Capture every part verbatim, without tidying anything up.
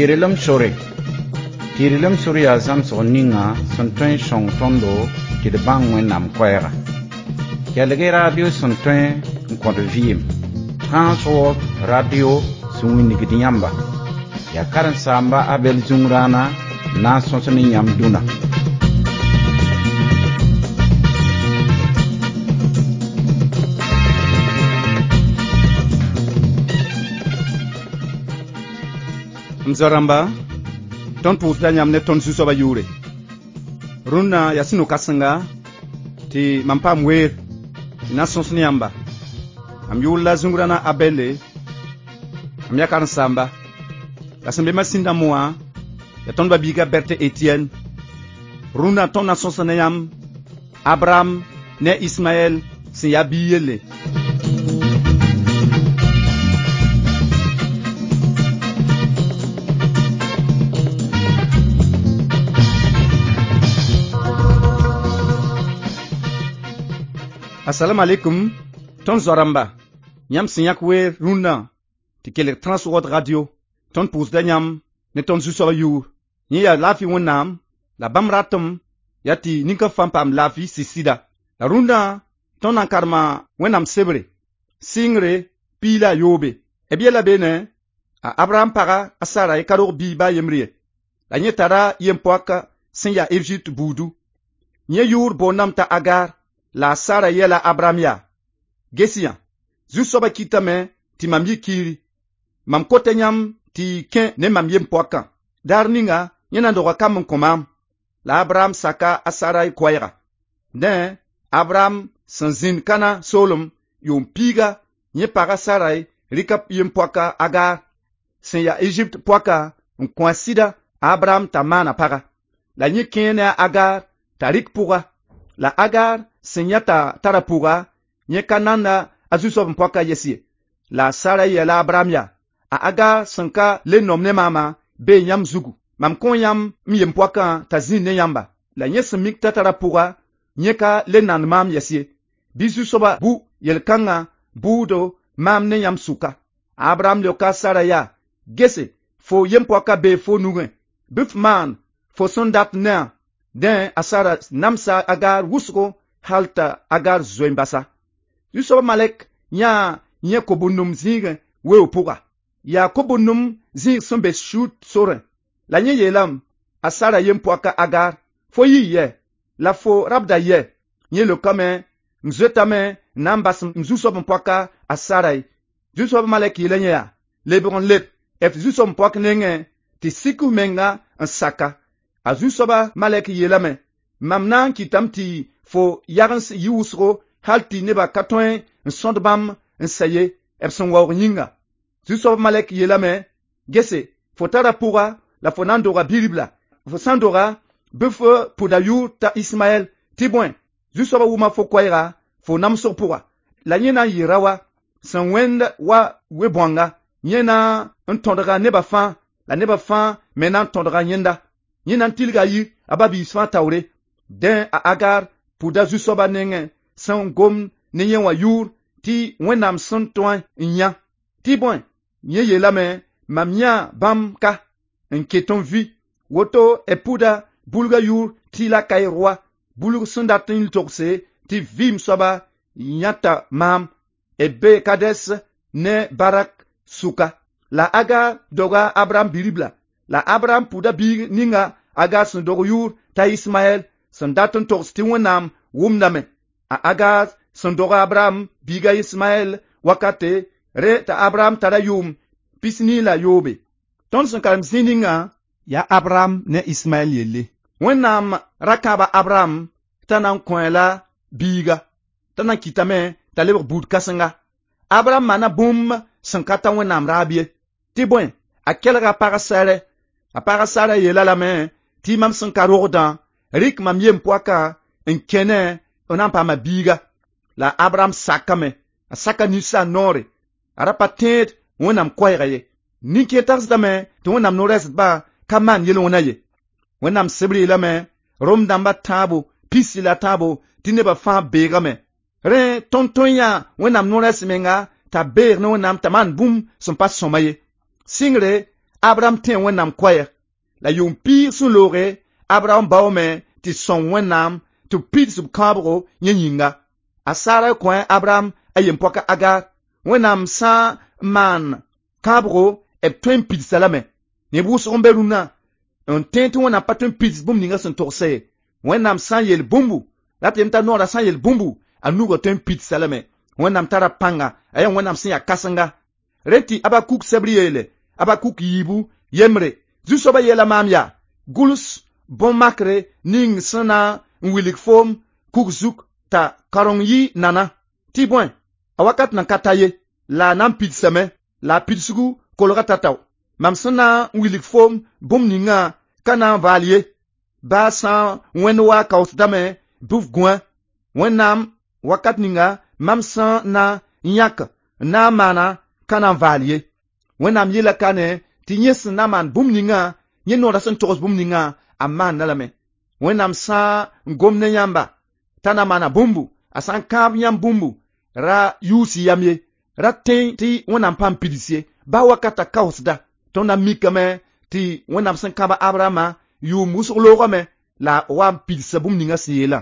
Tɩrlem sore. Tɩrlem sore yaa zãmsg ninga sẽn tõe n sõng tõndo tɩ d bãng Wẽnnaam koɛɛga. Kelg-y radio sẽn tõe n kõt vɩɩm. Trans World Radio sẽn wilgd yãmba. Yaa karen-saamba Abɛl Zũngrãana n na n sõs ne yãmb dũna. M zoa-rãmba, tõnd pʋʋsda yãmb ne tõnd Zu-soabã yʋʋre. Rũnnã yaa sũ-no-kãsenga tɩ mam paam weer tɩ na n sõs ne yãmba. Mam yʋʋr la Zũngrãna Abɛlle, mam yaa karen-saamba. La sẽn be masĩn dãmb wã yaa tõnd ba-biiga Bɛrte Etiɛn. Rũnnã tõnd na sõsa ne yãmb Abraham ne Ismaɛl sẽn yaa biig yelle. Assalamu alaikum, tõnd zoa-rãmba, yãmb sẽn yãk weer rũnnã tɩ kelg Trans World Radio, tõnd pʋʋsda yãmb ne tõnd Zu-soabã yʋʋr. Yẽ yaa laafɩ Wẽnnaam, la bãmb ratem yaa tɩ nin-kã fãa paam laafɩ sɩd-sɩda. La rũndã tõnd na n karema Wẽnnaam sebre, sɩngre piig la a yoobe. B yella beene, a Abraham paga a Sarai ka rog biig baa yembr ye. La yẽ tara yem-poaka sẽn yaa Ezipt buudu. Yẽ yʋʋr boondame t'a Agar, la a Sara yɛla Abraham yaa: Ges-yã, Zu-soabã kɩtame tɩ mam yɩ kiiri. Mam kota yãmb tɩ y kẽ ne mam yem-poakã. Daar ninga yẽ na n doga kamb n kõ maam. La Abraham saka a Sarai koɛɛga. Dẽ, Abraham sẽn zĩnd Kãna soolem yʋʋm piiga, yẽ paga Sarai rɩka yem-poaka Agar sẽn yaa Ezipt poaka n kõ a sɩda a Abraham t'a maana paga. La yẽ kẽe ne a Agar t'a rɩk pʋga. La Agar sẽn yã t'a tara pʋga, yẽ ka nanda a zu-soab n poaka yɛs ye. La a Sarai yeela Abraham yaa: A Agar sẽn ka le nom ne maama bee yãmb zugu. Mam kõ yãmb m yem-poakã t'a zĩnd ne yãmba. La yẽ sẽn mik t'a tara pʋga, yẽ ka le nand maam yɛs ye. Bɩ Zu-soabã bu yel-kãngã bʋʋdo maam ne yãmb sʋka. Abraham leoka a Sara yaa: Gese, fo yem-poaka bee fo nugẽ, bɩ f maan fo sẽn dat ne-a. Dẽ a Sara namsa Agar wʋsgo hal t'a Agar zoe n basa. Zu-soabã malɛk yãa yẽ ko-bũndum zĩigẽ weoog pʋga. Yaa ko-bũndum zĩig sẽn be Shur sorẽ. La yẽ yeelame a Sara yem-poaka Agar: Fo yii yɛ, la fo rabda yɛ? Yẽ leokame: M zoetame n na n bas m zu-soab n poaka a Sarai. Zu-soabã malɛk yeela yẽ yaa: Lebg n leb f zu-soab n poak nengẽ tɩ sik f menga n saka. A zu-soabã malɛk yeelame: Mam na n kɩtame tɩ fo yagens yɩ wʋsgo hal tɩ nebã ka tõe n sõd bãmb n sɛ ye b sẽn waoog yĩnga. Zu-soabã malɛk yeelame: Gese, fo tara pʋga la fo na n doga bi-ribla. Fo sã n doga, bɩ f pʋda yʋʋr t'a Ismaɛl, tɩ bõe, Zu-soabã wʋma fo koɛɛga fo namsg pʋga. La yẽ na n yɩ raoa sẽn wẽnd wa we-bõanga. Yẽ na n tõdga nebã fãa, la nebã fãa me na n tõdga yẽnda. Yẽ na n tilga yir a ba-biis fãa taoore. Dẽ a Agar pʋda Zu-soabã nengẽ sẽn gom ne yẽ wã yʋʋr tɩ Wẽnnaam sẽn tõe n yã. Tɩ bõe, yẽ yeelame: Mam yãa bãmb ka n ket n vɩ. Woto b pʋda bulgã yʋʋr tɩ la Kaɩroa, bulg sẽn dat n togse tɩ vɩɩm soaba yãta maam. B bee Kades ne Barak sʋka. La Agar doga Abraham bi-ribla. La Abraham pʋda biig ninga Agar sẽn dog yʋʋr t'a Ismaɛl sẽn dat n togs tɩ Wẽnnaam wʋmdame. A Agar sẽn dog Abraham biiga Ismaɛl wakate, rẽ t'a Abraham tara yʋʋm pis-nii la yoobe. Tõnd sẽn karem zĩ ninga yaa Abraham ne Ismaɛl yelle. Wẽnnaam ra kãaba Abraham t'a na n kõ-a la biiga, t'a na n kɩtame t'a lebg buud kãsenga. Abraham maana bũmb sẽn ka ta Wẽnnaam raab ye. Tɩ bõe, a kelga a pag Sɛrɛ. A pag Sara yeela lame tɩ mam sẽn ka rogdã, rɩk mam yem-poakã n kẽ ne n na n paama biiga. La Abraham sakame, a saka ninsaal noore. A ra pa tẽed Wẽnnaam koɛɛga ye. Nin-kẽer tagsdame tɩ Wẽnnaam no-rɛɛsdbã ka maan yel-wẽna ye. Wẽnnaam sebr yeelame Rom dãmba tãabo pisi la tãabo tɩ nebã fãa beegame. Rẽ tõnd tõe n yãa Wẽnnaam no-rɛɛs menga t'a beeg ne Wẽnnaam t'a maan bũmb sẽn pa sõma ye. Sɩngre, Abraham tẽ Wẽnnaam koɛɛg la yʋʋm piig sẽn looge Abraham baoome tɩ sõng Wẽnnaam tɩ b pids b kãabgo yẽ yĩnga. A Sara kõ Abraham a yem-poaka Agar. Wẽnnaam sã n maan kãabgo b tõe n pidsa lame. Neb wʋsg n be rũnnã n tẽ tɩ Wẽnnaam pa tõe n pids bũmb ninga sẽn togse ye. Wẽnnaam sã n yeel bũmbu la tɩ yem t'a noorã sã n yeel bũmbu a nugã tõe n pidsa lame. Wẽnnaam tara pãnga a yaa Wẽnnaam sẽn yaa kãsenga. Rẽ tɩ Abakuk sebr yeele Abakuk yiibu yembre Zu-soabã yeela maam yaa gʋls bõn-makre ning sẽn na n wilg foom kug zug t'a kareng yɩ nana tɩ bõe a wakat nan ka ta ye la a na n pidsame la a pidsgu kolga tatao mam sẽn na n wilg foom bũmb ningã ka na n vaal ye baa sã n wẽnd wa kaoosdame bɩ f gũa Wẽnnaam wakat ninga mam sẽn na n yãk n na n maana ka na n vaal ye Wẽnnaam yeela ka ne tɩ yẽ sẽn na n maan bũmb ningã yẽ noorã sẽn togs bũmb ningã a maanda lame Wẽnnaam sã n gom ne yãmba t'a na maana bũmbu a sã n kãab yãmb bũmbu ra yuus yam ye ra tẽ tɩ Wẽnnaam paam pids ye baa wakata kaoosda tõnd na mikame tɩ Wẽnnaam sẽn kãba Abrahama yʋʋm wʋsg loogame la wa n pidsa bũmb ninga sẽn yeelã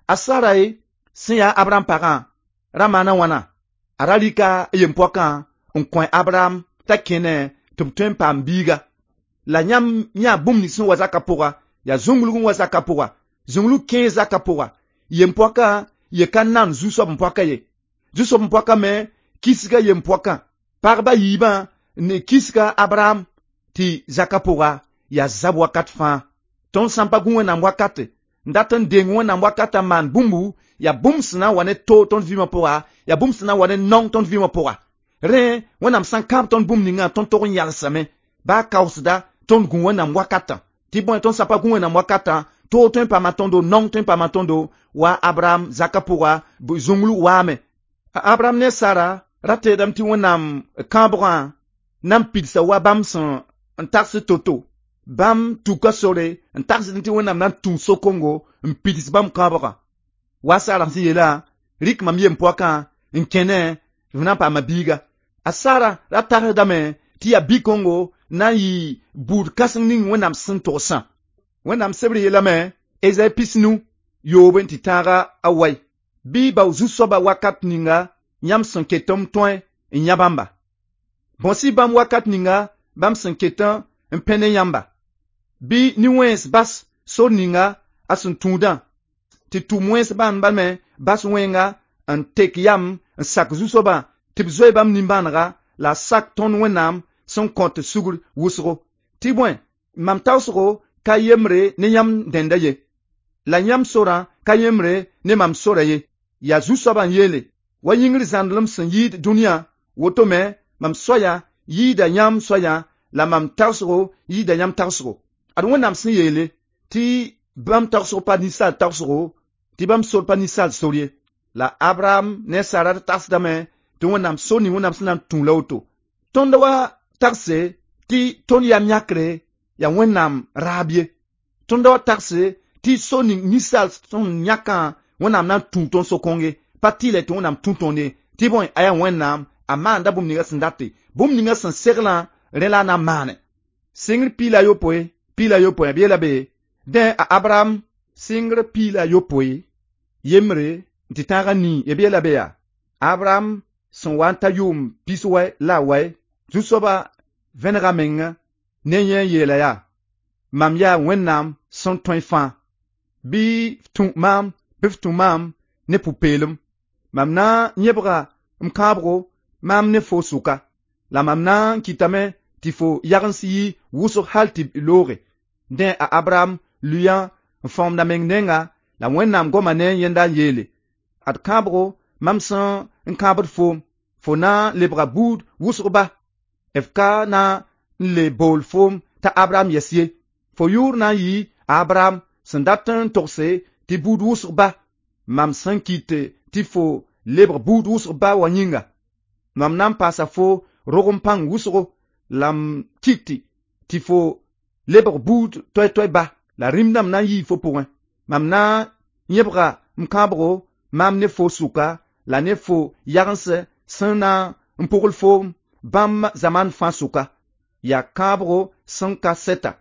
a Sarai sẽn yaa Abraham pagã ra maana wãna a ra rɩka a yem-poakã n kõ Abraham t'a kẽne tɩ b tõe n paam biiga la yãmb yã bũmb ning sẽn wa zakã pʋga yaa zũnglg n wa zakã pʋga zũnglg kẽe zakã pʋga yem-poakã ye ka nan zu-soab n poaka ye zu-soab n poaka me kisga yem-poakã pagba yiibã ne kisga Abraham tɩ zakã pʋga yaa zab wakat fãa tõnd sã n pa gũ Wẽnnaam wakate n dat n deng Wẽnnaam wakata n maan bũmbu yaa bũmb sẽn na n wa ne toog tõnd vɩɩmã pʋga yaa bũmb sẽn na n wa ne naong tõnd vɩɩmã pʋga rẽ Wẽnnaam sã n kãab tõnd bũmb ningã tõnd tog n yalsame baa kaoosda tõnd gũ Wẽnnaam wakatã tɩ bõe tõnd sã pa gũ Wẽnnaam wakatã toog tõe n paama tõndo naong tõe n paama tõndo wa Abraham zakã pʋga zũnglg waame a Abraham ne Sara ra teedame tɩ Wẽnnaam kãabgã na n pidsa wa bãmb sẽn n tags to-to bãmb tuka sore n tagsd tɩ Wẽnnaam na n tũ so-kongo n pids bãmb kãabgã wa Sara sẽn yeelã rɩk mam yem-poakã n kẽne f na n paama biiga a Sara ra tagsdame tɩ yaa bi-kongo na n yɩ buud kãseng ning Wẽnnaam sẽn togsã Wẽnnaam sebr yeelame Ezayi pisnu yoob n tɩ tãaga a wai bɩ bao zu-soaba wakat ninga yãmb sẽn ket m tõe n yã bãmba bõs-y bãmb wakat ninga bãmb sẽn ket n pẽ ne yãmba bɩ nin-wẽns bas sor ninga a sẽn tũudã tɩ tʋm wẽns bãmba me bas wẽnga n tek yam n sak zu-soabã tɩ b zoe bãmb nimbãanega la a sak tõnd Wẽnnaam sẽn kõt sugr wʋsgo tɩ bõe mam taoosgo ka yembre ne yãmb dẽnda ye la yãmb sorã ka yembre ne mam sora ye yaa zu-soabã n yeele wa yĩngr zãndlem sẽn yɩɩd dũniyã woto me mam soaya yɩɩda yãmb soayã la mam tagsgo yɩɩda yãmb tagsgo ad Wẽnnaam sẽn yeele tɩ bãmb tagsg pa ninsaal tagsgo tɩ bãmb sor pa ninsaal sor ye la Abraham ne Sara tagsdame tɩ Wẽnnaam sor ning Wẽnnaam sẽn na n tũ la woto tõnd wa tagse tɩ tõnd yam yãkre yaa Wẽnnaam raab ye tõnd wa tagse tɩ sor ning ninsaal sẽn yãkã Wẽnnaam na n tũ tõnd so-kõng ye pa tɩlɛ tɩ Wẽnnaam tũ tõnd ye tɩ bõe a yaa Wẽnnaam a maanda bũmb ninga sẽn date bũmb ninga sẽn seglã rẽ la a na n maane sɩngr piig la yopoe piig la yopoe b yeela be dẽ a Abraham sɩngr piig la yopoe yembre n tɩ tãag a nii b yeela be yaa Abraham sẽn wa n ta yʋʋm pis wɛ la a wɛ zu-soabã vẽnega meng ne yẽ n yeela yaa mam yaa Wẽnnaam sẽn tõe fãa bɩ f tũ maam bɩ f tũ maam ne pʋ-peelem mam na n yẽbga m kãabgo maam ne fo sʋka la mam na n kɩtame tɩ fo yagens yɩ wʋsg hal tɩ looge dẽ a Abraham lʋɩã n fãoomda meng nenga la Wẽnnaam goma ne yẽnda n yeele ad kãabgo mam sẽn n kãabd foom fo na n lebga buud wʋsg ba f ka na n le bool foom t'a Abraham yɛs ye fo yʋʋr na n yɩ a Abraham sẽn dat n togse tɩ buud wʋsg ba mam sẽn kɩt tɩ fo lebg buud wʋsg ba wã yĩnga mam na n paasa fo rog n pãng wʋsgo la m kɩt tɩ fo lebg buud toɛ-toɛ ba la rĩm-dãmb na n yii fo pʋgẽ mam na n yẽbga m kãabgo maam ne fo sʋka la ne fo yagens sẽn na n pʋgl foom bãmb zamaan fãa sʋka. Yaa kãabgo sẽn ka sɛta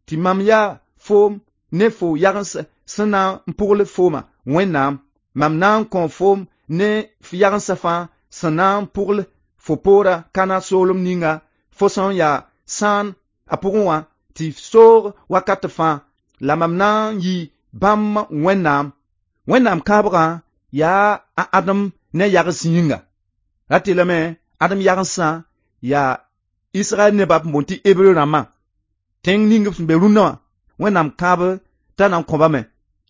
tɩ mam yaa foom ne fo yagens sẽn na n pʋgl fooma Wẽnnaam. Mam na n kõo foom ne f yagensã fãa sẽn na n pʋgl fo poora Kãna soolem ninga fo sẽn yaa sãan a pʋgẽ wã tɩ soog wakat fãa. La mam na n yɩ bãmb Wẽnnaam. Wẽnnaam kãabgã yaa a Adem ne yagens yĩnga. Rat yeelame Adem yagensã yaa Israɛl nebã b boond tɩ Hebreu rãmbã. Tẽng ning b sẽn be rũndã wã, Wẽnnaam kãab t'a na n kõbame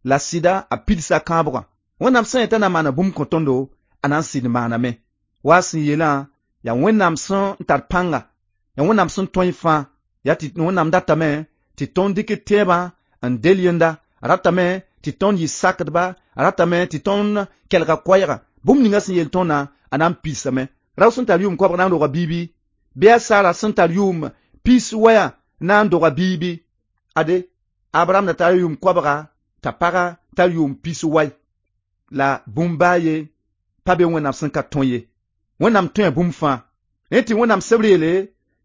la sɩda a pidsa kãabgã. Wẽnnaam sã n yet t'a na n maana bũmb kõ tõndo, a na n sɩd maaname. Wa sẽn yeelã yaa Wẽnnaam sẽn tar pãnga, yaa Wẽnnaam sẽn tõe fãa, yaa tɩ Wẽnnaam datame tɩ tõnd dɩk tẽebã n del yẽnda, a ratame tɩ tõnd yɩ sakdba, a ratame tɩ tõnd kelga koɛɛga. Bũmb ninga sẽn yeel tõndã, a na n pidsame. Rao sẽn tar yʋʋm koabg na n roga biibi, bɩ a Sara sẽn tar yʋʋm pis waya na n doga biibi. Ade, Abraham da tar yʋʋm koabga t'a paga tar yʋʋm pis wai. La bũmb baa ye pa be Wẽnnaam sẽn ka tõe ye. Wẽnnaam tõe bũmb fãa. Rẽ tɩ Wẽnnaam sebr yeele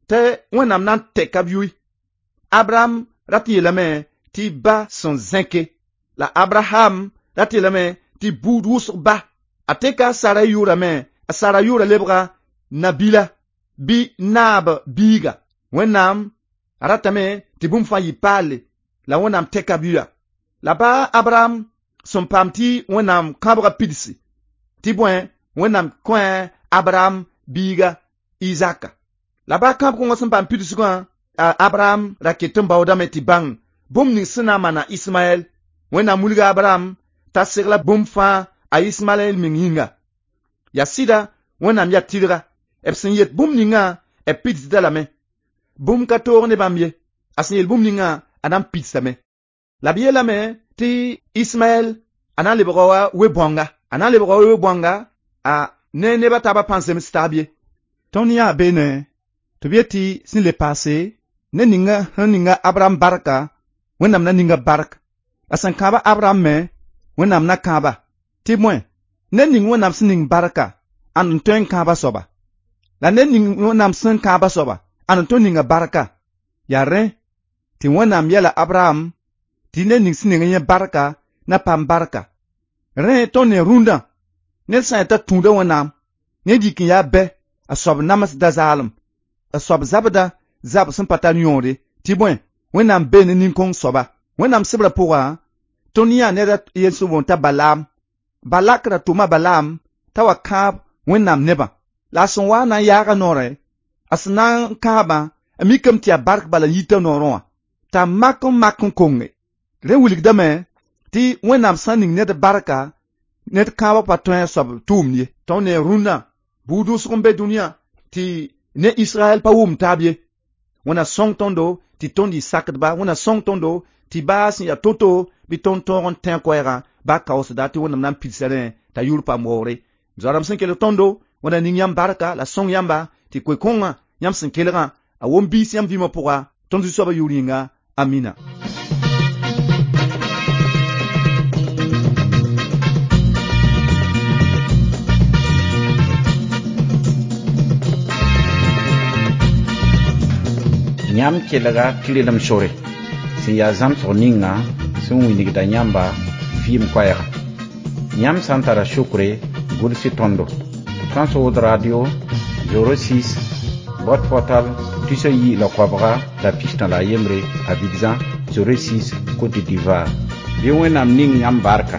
tɩ Wẽnnaam na n tɛka b yʋɩ. Abraham rat n yeelame tɩ ba sẽn zẽke. La Abraham rat n yeelame tɩ buud wʋsg ba. A teka a Sara yʋʋrame, a Sara yʋʋra lebga nabila bɩ naab biiga. Wẽnnaam a ratame tɩ bũmb fãa yɩ paalle la Wẽnnaam tɛka b yʋya. La baa Abraham sẽn paam tɩ Wẽnnaam kãabgã pidsi, tɩ bõe Wẽnnaam kõ Abraham biiga Izaka. La baa kãab-kõngã sẽn paam pidsgã, a Abraham ra ket n baoodame tɩ bãng bũmb ning sẽn na n maana Ismaɛl. Wẽnnaam wilga Abraham t'a segla bũmb fãa a Ismaɛl meng yĩnga. Yaa sɩda Wẽnnaam yaa tɩrga. B sẽn yet bũmb ningã, b pidsda lame. Bũmb ka toog ne bãmb ye. A sẽn yeel bũmb ningã, a na n pidsame. La b yeelame tɩ Ismaɛl a na n lebga wa we-bõanga. A na n lebga wa we-bõanga a ne neb a taabã pãn zems taab ye. Tõnd yãa beene tɩ b yet tɩ sẽn le paase ned ninga sẽn ninga Abraham barka, Wẽnnaam na ninga bark. La sẽn kãaba Abraham me, Wẽnnaam na kãaba. Tɩ bõe, ned ning Wẽnnaam sẽn ning barka, ãnd n tõe n kãaba soaba. La ned ning Wẽnnaam sẽn kãaba soaba, ãnd n tõe n ninga barka. Yaa rẽ tɩ Wẽnnaam yɛla Abraham tɩ ned ning sẽn ning yẽ barka na paam barka. Rẽ tõnd ne rũndã, ned sã n yaa t'a tũuda Wẽnnaam, ned yik n yaa bɛ, a soab namsda zaalem, a soab zabda zab sẽn pa tar yõode, tɩ bõe, Wẽnnaam bee ne nin-kõng soaba. Wẽnnaam sebrã pʋga, tõnd yãa ned a yel sẽn boond t'a Balaam. Balak ra tʋma Balaam t'a wa kãab Wẽnnaam nebã. La a sẽn wa na n yaaga noorẽ, a sẽn na n kãabã, a mikame tɩ yaa bark bala n yita noorẽ wã, t'a mak n mak n konge. Rẽ wilgdame tɩ Wẽnnaam sã n ning ned barka, ned kãabã pa tõe a soab tʋʋmd ye. Tõnd ne rũndã, buud wʋsg n be dũniyã tɩ ne Israɛl pa wʋm taab ye. Wẽnna sõng tõndo tɩ tõnd yɩ sakdba, Wẽnna sõng tõndo tɩ baa sẽn yaa to-to bɩ tõnd tõog n tẽ koɛɛgã baa kaoosda tɩ Wẽnnaam na n pidsa rẽ t'a yʋʋr paam waoore. Zoa-rãmb sẽn kelg tõndo, Wẽnna ning yãmb barka la sõng yãmba tɩ koe-kõngã yãmb sẽn kelgã a wom biis yãmb vɩɩmã pʋga tõnd Zu-soabã yʋʋr yĩnga. Amina. Yãmb kelga tɩrlem sore sẽn yaa zãmsg ninga sẽn wilgda yãmba vɩɩm koɛɛga. Yãmb sã n tara sukre, gʋls tõndo. Trans-World Radio zéro six boîte postale tus ayi la koabga la pistã la a yembre Abidjan zéro six Côte d'Ivoire. Bɩ Wẽnnaam ning yãmb barka.